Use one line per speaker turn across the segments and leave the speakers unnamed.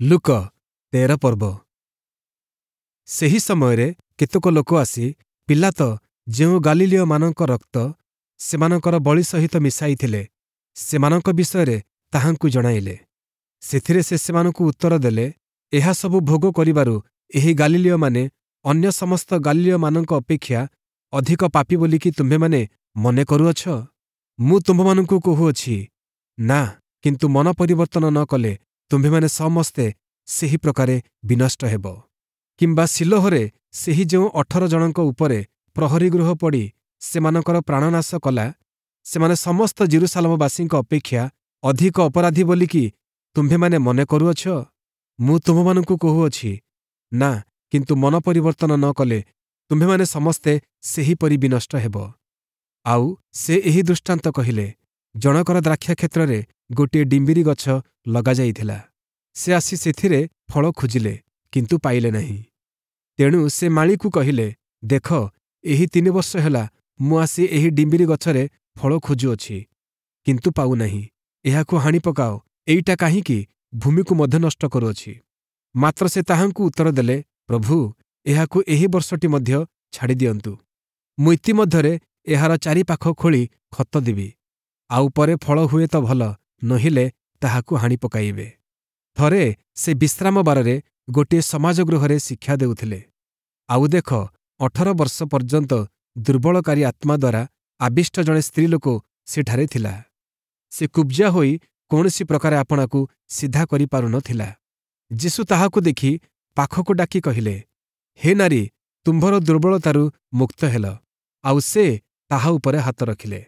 ଲୂକ 13 ପର୍ବ। ସେହି ସମୟରେ କେତେକ ଲୋକ ଆସି ପୀଲାତ ଯେଉଁ ଗାଲିଲୀୟମାନଙ୍କ ରକ୍ତ ସେମାନଙ୍କର ବଳି ସହିତ ମିଶାଇଥିଲେ, ସେମାନଙ୍କ ବିଷୟରେ ତାହାଙ୍କୁ ଜଣାଇଲେ। ସେଥିରେ ସେ ସେମାନଙ୍କୁ ଉତ୍ତର ଦେଲେ, ଏହା ସବୁ ଭୋଗ କରିବାରୁ ଏହି ଗାଲିଲୀୟମାନେ ଅନ୍ୟ ସମସ୍ତ ଗାଲିଲୀୟମାନଙ୍କ ଅପେକ୍ଷା ଅଧିକ ପାପୀ ବୋଲିକି ତୁମ୍ଭେମାନେ ମନେ କରୁଅଛ? ମୁଁ ତୁମ୍ଭମାନଙ୍କୁ କହୁଅଛି, ନା, କିନ୍ତୁ ମନ ପରିବର୍ତ୍ତନ ନ କଲେ ତୁମ୍ଭେମାନେ ସମସ୍ତେ ସେହି ପ୍ରକାରେ ବିନଷ୍ଟ ହେବ। କିମ୍ବା ଶିଲୋହରେ ସେହି ଯେଉଁ 18 ଜଣଙ୍କ ଉପରେ ପ୍ରହରୀ ଗୃହ ପଡ଼ି ସେମାନଙ୍କର ପ୍ରାଣନାଶ କଲା, ସେମାନେ ସମସ୍ତ ଯିରୂଶାଲମବାସୀଙ୍କ ଅପେକ୍ଷା ଅଧିକ ଅପରାଧୀ ବୋଲିକି ତୁମ୍ଭେମାନେ ମନେ କରୁଅଛ? ମୁଁ ତୁମ୍ଭମାନଙ୍କୁ କହୁଅଛି, ନା, କିନ୍ତୁ ମନ ପରିବର୍ତ୍ତନ ନ କଲେ ତୁମ୍ଭେମାନେ ସମସ୍ତେ ସେହିପରି ବିନଷ୍ଟ ହେବ। ଆଉ ସେ ଏହି ଦୃଷ୍ଟାନ୍ତ କହିଲେ, ଜଣକର ଦ୍ରାକ୍ଷାକ୍ଷେତ୍ରରେ ଗୋଟିଏ ଡିମ୍ବିରି ଗଛ ଲଗାଯାଇଥିଲା। ସେ ଆସି ସେଥିରେ ଫଳ ଖୋଜିଲେ, କିନ୍ତୁ ପାଇଲେ ନାହିଁ। ତେଣୁ ସେ ମାଳୀକୁ କହିଲେ, ଦେଖ, ଏହି 3 ବର୍ଷ ହେଲା ମୁଁ ଆସି ଏହି ଡିମ୍ବିରି ଗଛରେ ଫଳ ଖୋଜୁଅଛି, କିନ୍ତୁ ପାଉନାହିଁ। ଏହାକୁ ହାଣି ପକାଅ, ଏଇଟା କାହିଁକି ଭୂମିକୁ ମଧ୍ୟ ନଷ୍ଟ କରୁଅଛି? ମାତ୍ର ସେ ତାହାଙ୍କୁ ଉତ୍ତର ଦେଲେ, ପ୍ରଭୁ, ଏହାକୁ ଏହି ବର୍ଷଟି ମଧ୍ୟ ଛାଡ଼ିଦିଅନ୍ତୁ। ମୁଁ ଇତିମଧ୍ୟରେ ଏହାର ଚାରିପାଖ ଖୋଳି ଖତ ଦେବି। ଆଉ ପରେ ଫଳ ହୁଏ ତ ଭଲ, ନୋହିଲେ ତାହାକୁ ହାଣି ପକାଇବେ। ଥରେ ସେ ବିଶ୍ରାମ ବାରରେ ଗୋଟିଏ ସମାଜଗୃହରେ ଶିକ୍ଷା ଦେଉଥିଲେ। ଆଉ ଦେଖ, 18 ବର୍ଷ ପର୍ଯ୍ୟନ୍ତ ଦୁର୍ବଳକାରୀ ଆତ୍ମା ଦ୍ୱାରା ଆବିଷ୍ଟ ଜଣେ ସ୍ତ୍ରୀଲୋକ ସେଠାରେ ଥିଲା। ସେ କୁବ୍ଜା ହୋଇ କୌଣସି ପ୍ରକାରେ ଆପଣାକୁ ସିଧା କରିପାରୁନଥିଲା। ଯୀଶୁ ତାହାକୁ ଦେଖି ପାଖକୁ ଡାକି କହିଲେ, ହେ ନାରୀ, ତୁମ୍ଭର ଦୁର୍ବଳତାରୁ ମୁକ୍ତ ହେଲ। ଆଉ ସେ ତାହା ଉପରେ ହାତ ରଖିଲେ।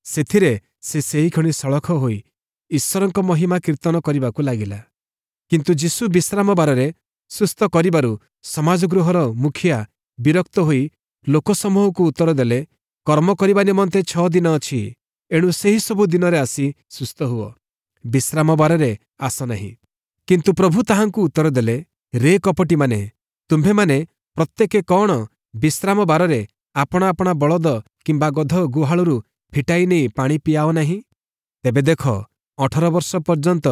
ସେଥିରେ ସେ ସେହିକ୍ଷଣି ସଳଖ ହୋଇ ଈଶ୍ୱରଙ୍କ ମହିମା କୀର୍ତ୍ତନ କରିବାକୁ ଲାଗିଲା। କିନ୍ତୁ ଯୀଶୁ ବିଶ୍ରାମ ବାରରେ ସୁସ୍ଥ କରିବାରୁ ସମାଜଗୃହର ମୁଖିଆ ବିରକ୍ତ ହୋଇ ଲୋକସମୂହକୁ ଉତ୍ତର ଦେଲେ, କର୍ମ କରିବା ନିମନ୍ତେ 6 ଦିନ ଅଛି, ଏଣୁ ସେହି ସବୁ ଦିନରେ ଆସି ସୁସ୍ଥ ହୁଅ, ବିଶ୍ରାମ ବାରରେ ଆସ ନାହିଁ। କିନ୍ତୁ ପ୍ରଭୁ ତାହାଙ୍କୁ ଉତ୍ତର ଦେଲେ, ରେ କପଟୀମାନେ, ତୁମ୍ଭେମାନେ ପ୍ରତ୍ୟେକେ କଣ ବିଶ୍ରାମ ବାରରେ ଆପଣା ଆପଣା ବଳଦ କିମ୍ବା ଗଧ ଗୁହାଳରୁ ଫିଟାଇ ନେଇ ପାଣି ପିଆଅ ନାହିଁ? ତେବେ ଦେଖ, 18 ବର୍ଷ ପର୍ଯ୍ୟନ୍ତ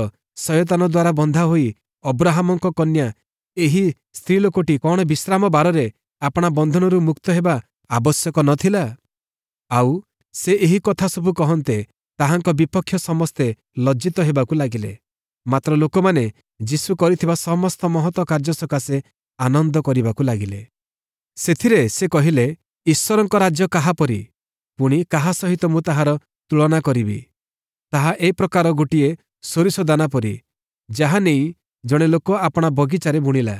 ଶୟତାନ ଦ୍ୱାରା ବନ୍ଧା ହୋଇ ଅବ୍ରାହାମଙ୍କ କନ୍ୟା ଏହି ସ୍ତ୍ରୀଲୋକଟି କଣ ବିଶ୍ରାମ ବାରରେ ଆପଣା ବନ୍ଧନରୁ ମୁକ୍ତ ହେବା ଆବଶ୍ୟକ ନଥିଲା? ଆଉ ସେ ଏହି କଥା ସବୁ କହନ୍ତେ ତାହାଙ୍କ ବିପକ୍ଷ ସମସ୍ତେ ଲଜ୍ଜିତ ହେବାକୁ ଲାଗିଲେ। ମାତ୍ର ଲୋକମାନେ ଯୀଶୁ କରିଥିବା ସମସ୍ତ ମହତ କାର୍ଯ୍ୟ ସକାଶେ ଆନନ୍ଦ କରିବାକୁ ଲାଗିଲେ। ସେଥିରେ ସେ କହିଲେ, ଈଶ୍ୱରଙ୍କ ରାଜ୍ୟ କାହା ପରି? ପୁଣି କାହା ସହିତ ମୁଁ ତାହାର ତୁଳନା କରିବି? ତାହା ଏ ପ୍ରକାର ଗୋଟିଏ ସୋରିଷ ଦାନା ପରି, ଯାହା ନେଇ ଜଣେ ଲୋକ ଆପଣା ବଗିଚାରେ ବୁଣିଲା,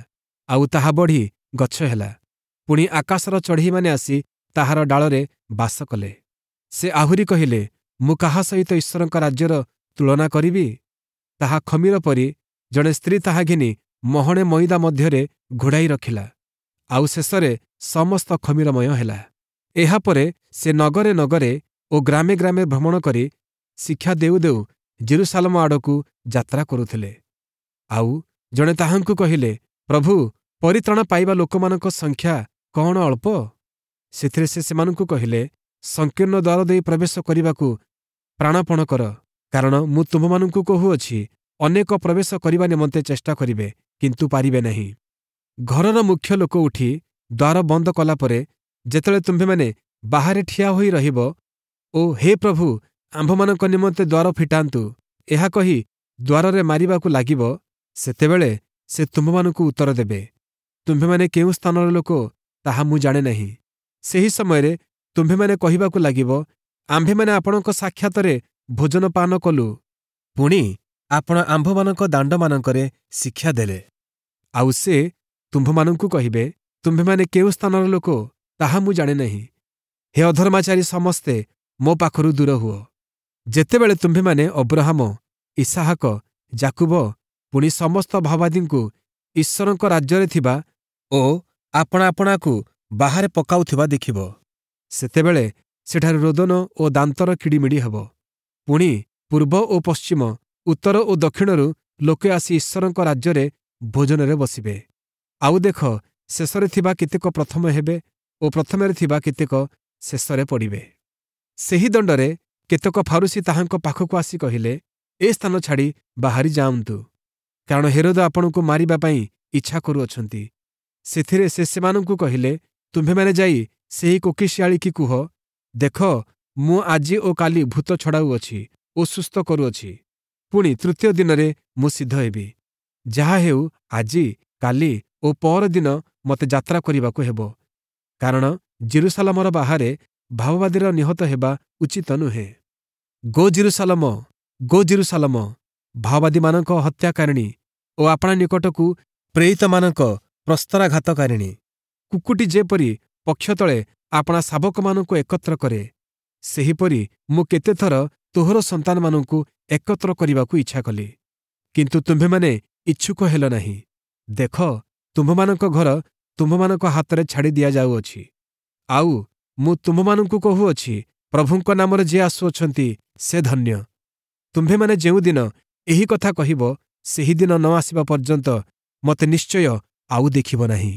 ଆଉ ତାହା ବଢ଼ି ଗଛ ହେଲା। ପୁଣି ଆକାଶର ଚଢ଼େଇମାନେ ଆସି ତାହାର ଡାଳରେ ବାସ କଲେ। ସେ ଆହୁରି କହିଲେ, ମୁଁ କାହା ସହିତ ଈଶ୍ୱରଙ୍କ ରାଜ୍ୟର ତୁଳନା କରିବି? ତାହା ଖମୀର ପରି, ଜଣେ ସ୍ତ୍ରୀ ତାହା ଘେନି ମହଣେ ମଇଦା ମଧ୍ୟରେ ଘୋଡ଼ାଇ ରଖିଲା, ଆଉ ଶେଷରେ ସମସ୍ତ ଖମୀରମୟ ହେଲା। ଏହାପରେ ସେ ନଗରେ ନଗରେ ଓ ଗ୍ରାମେ ଗ୍ରାମେ ଭ୍ରମଣ କରି ଶିକ୍ଷା ଦେଉ ଦେଉ ଯିରୂଶାଲମ ଆଡ଼କୁ ଯାତ୍ରା କରୁଥିଲେ। ଆଉ ଜଣେ ତାହାଙ୍କୁ କହିଲେ, ପ୍ରଭୁ, ପରିତ୍ରାଣ ପାଇବା ଲୋକମାନଙ୍କ ସଂଖ୍ୟା କଣ ଅଳ୍ପ? ସେଥିରେ ସେ ସେମାନଙ୍କୁ କହିଲେ, ସଂକୀର୍ଣ୍ଣ ଦ୍ୱାର ଦେଇ ପ୍ରବେଶ କରିବାକୁ ପ୍ରାଣପଣ କର, କାରଣ ମୁଁ ତୁମ୍ଭମାନଙ୍କୁ କହୁଅଛି, ଅନେକ ପ୍ରବେଶ କରିବା ନିମନ୍ତେ ଚେଷ୍ଟା କରିବେ, କିନ୍ତୁ ପାରିବେ ନାହିଁ। ଘରର ମୁଖ୍ୟ ଲୋକ ଉଠି ଦ୍ୱାର ବନ୍ଦ କଲା ପରେ ଯେତେବେଳେ ତୁମ୍ଭେମାନେ ବାହାରେ ଠିଆ ହୋଇ ରହିବ ଓ ହେ ପ୍ରଭୁ, ଆମ୍ଭମାନଙ୍କ ନିମନ୍ତେ ଦ୍ୱାର ଫିଟାନ୍ତୁ, ଏହା କହି ଦ୍ୱାରରେ ମାରିବାକୁ ଲାଗିବ, ସେତେବେଳେ ସେ ତୁମ୍ଭମାନଙ୍କୁ ଉତ୍ତର ଦେବେ, ତୁମ୍ଭେମାନେ କେଉଁ ସ୍ଥାନର ଲୋକ ତାହା ମୁଁ ଜାଣେ ନାହିଁ। ସେହି ସମୟରେ ତୁମ୍ଭେମାନେ କହିବାକୁ ଲାଗିବ, ଆମ୍ଭେମାନେ ଆପଣଙ୍କ ସାକ୍ଷାତରେ ଭୋଜନ ପାନ କଲୁ, ପୁଣି ଆପଣ ଆମ୍ଭମାନଙ୍କ ଦାଣ୍ଡମାନଙ୍କରେ ଶିକ୍ଷା ଦେଲେ। ଆଉ ସେ ତୁମ୍ଭମାନଙ୍କୁ କହିବେ, ତୁମ୍ଭେମାନେ କେଉଁ ସ୍ଥାନର ଲୋକ ତାହା ମୁଁ ଜାଣେ ନାହିଁ। ହେ ଅଧର୍ମାଚାରୀ ସମସ୍ତେ, ମୋ ପାଖରୁ ଦୂର ହୁଅ। ଯେତେବେଳେ ତୁମ୍ଭେମାନେ ଅବ୍ରହାମ, ଇସାହାକ, ଯାକୁବ, ପୁଣି ସମସ୍ତ ଭାବାଦୀଙ୍କୁ ଈଶ୍ୱରଙ୍କ ରାଜ୍ୟରେ ଥିବା ଓ ଆପଣା ଆପଣାକୁ ବାହାରେ ପକାଉଥିବା ଦେଖିବ, ସେତେବେଳେ ସେଠାରେ ରୋଦନ ଓ ଦାନ୍ତର କିଡ଼ିମିଡ଼ି ହେବ। ପୁଣି ପୂର୍ବ ଓ ପଶ୍ଚିମ, ଉତ୍ତର ଓ ଦକ୍ଷିଣରୁ ଲୋକେ ଆସି ଈଶ୍ୱରଙ୍କ ରାଜ୍ୟରେ ଭୋଜନରେ ବସିବେ। ଆଉ ଦେଖ, ଶେଷରେ ଥିବା କେତେକ ପ୍ରଥମ ହେବେ ଓ ପ୍ରଥମରେ ଥିବା କେତେକ ଶେଷରେ ପଡ଼ିବେ। ସେହି ଦଣ୍ଡରେ କେତେକ ଫାରୁଶୀ ତାହାଙ୍କ ପାଖକୁ ଆସି କହିଲେ, ଏ ସ୍ଥାନ ଛାଡ଼ି ବାହାରି ଯାଆନ୍ତୁ, କାରଣ ହେରୋଦ ଆପଣଙ୍କୁ ମାରିବା ପାଇଁ ଇଚ୍ଛା କରୁଅଛନ୍ତି। ସେଥିରେ ସେ ସେମାନଙ୍କୁ କହିଲେ, ତୁମ୍ଭେମାନେ ଯାଇ ସେହି କୋକିଶିଆଳିକି କୁହ, ଦେଖ, ମୁଁ ଆଜି ଓ କାଲି ଭୂତ ଛଡ଼ାଉଅଛି ଓ ସୁସ୍ଥ କରୁଅଛି, ପୁଣି ତୃତୀୟ ଦିନରେ ମୁଁ ସିଦ୍ଧ ହେବି। ଯାହା ହେଉ, ଆଜି, କାଲି ଓ ପଅରଦିନ ମୋତେ ଯାତ୍ରା କରିବାକୁ ହେବ, କାରଣ ଯିରୂଶାଲମର ବାହାରେ ଭାବବାଦୀର ନିହତ ହେବା ଉଚିତ ନୁହେଁ। ଗୋ ଯିରୂଶାଲମ, ଗୋ ଯିରୂଶାଲମ, ଭାବବାଦୀମାନଙ୍କ ହତ୍ୟାକାରିଣୀ ଓ ଆପଣା ନିକଟକୁ ପ୍ରେରିତମାନଙ୍କ ପ୍ରସ୍ତରାଘାତକାରିଣୀ, କୁକ୍କୁଟୀ ଯେପରି ପକ୍ଷ ତଳେ ଆପଣା ଶାବକମାନଙ୍କୁ ଏକତ୍ର କରେ, ସେହିପରି ମୁଁ କେତେଥର ତୋହର ସନ୍ତାନମାନଙ୍କୁ ଏକତ୍ର କରିବାକୁ ଇଚ୍ଛା କଲି, କିନ୍ତୁ ତୁମ୍ଭେମାନେ ଇଚ୍ଛୁକ ହେଲ ନାହିଁ। ଦେଖ, ତୁମ୍ଭମାନଙ୍କ ଘର ତୁମ୍ଭମାନଙ୍କ ହାତରେ ଛାଡ଼ି ଦିଆଯାଉଅଛି। ଆଉ ମୁଁ ତୁମ୍ଭମାନଙ୍କୁ କହୁଅଛି, ପ୍ରଭୁଙ୍କ ନାମରେ ଯିଏ ଆସୁଅଛନ୍ତି ସେ ଧନ୍ୟ। ତୁମ୍ଭେମାନେ ଯେଉଁଦିନ ଏହି କଥା କହିବ, ସେହିଦିନ ନ ଆସିବା ପର୍ଯ୍ୟନ୍ତ ମୋତେ ନିଶ୍ଚୟ ଆଉ ଦେଖିବ ନାହିଁ।